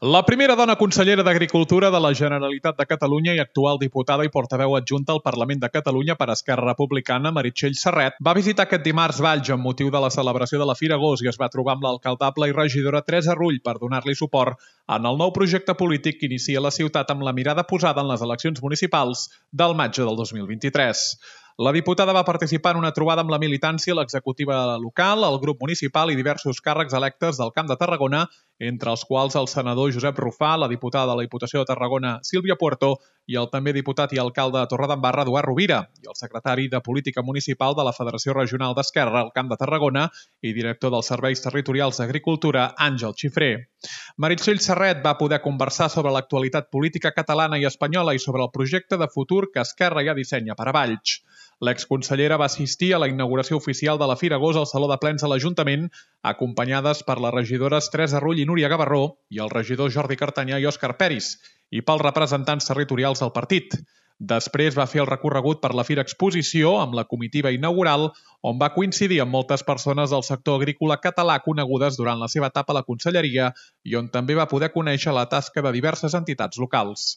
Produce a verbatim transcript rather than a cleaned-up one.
La primera dona consellera d'Agricultura de la Generalitat de Catalunya i actual diputada i portaveu adjunta al Parlament de Catalunya per Esquerra Republicana, Meritxell Serret, va visitar aquest dimarts Valls amb motiu de la celebració de la Fira Gos i es va trobar amb l'alcaldable i regidora Teresa Rull per donar-li suport en el nou projecte polític que inicia la ciutat amb la mirada posada en les eleccions municipals del maig del dos mil vint-i-tres. La diputada va participar en una trobada amb la militància, l'executiva local, el grup municipal i diversos càrrecs electes del Camp de Tarragona, entre els quals el senador Josep Rufà, la diputada de la Diputació de Tarragona Sílvia Puerto i el també diputat i alcalde de Torredembarra Eduard Rovira i el secretari de Política Municipal de la Federació Regional d'Esquerra al Camp de Tarragona i director dels Serveis Territorials d'Agricultura, Àngel Xifré. Meritxell Serret va poder conversar sobre l'actualitat política catalana i espanyola i sobre el projecte de futur que Esquerra ja dissenya per a Valls. L'exconsellera va assistir a la inauguració oficial de la Fira Gos al Saló de Plens de l'Ajuntament, acompanyades per les regidores Teresa Rull i Núria Gavarró i el regidor Jordi Cartanyà i Òscar Peris, i pels representants territorials del partit. Després va fer el recorregut per la Fira Exposició amb la comitiva inaugural, on va coincidir amb moltes persones del sector agrícola català conegudes durant la seva etapa a la conselleria i on també va poder conèixer la tasca de diverses entitats locals.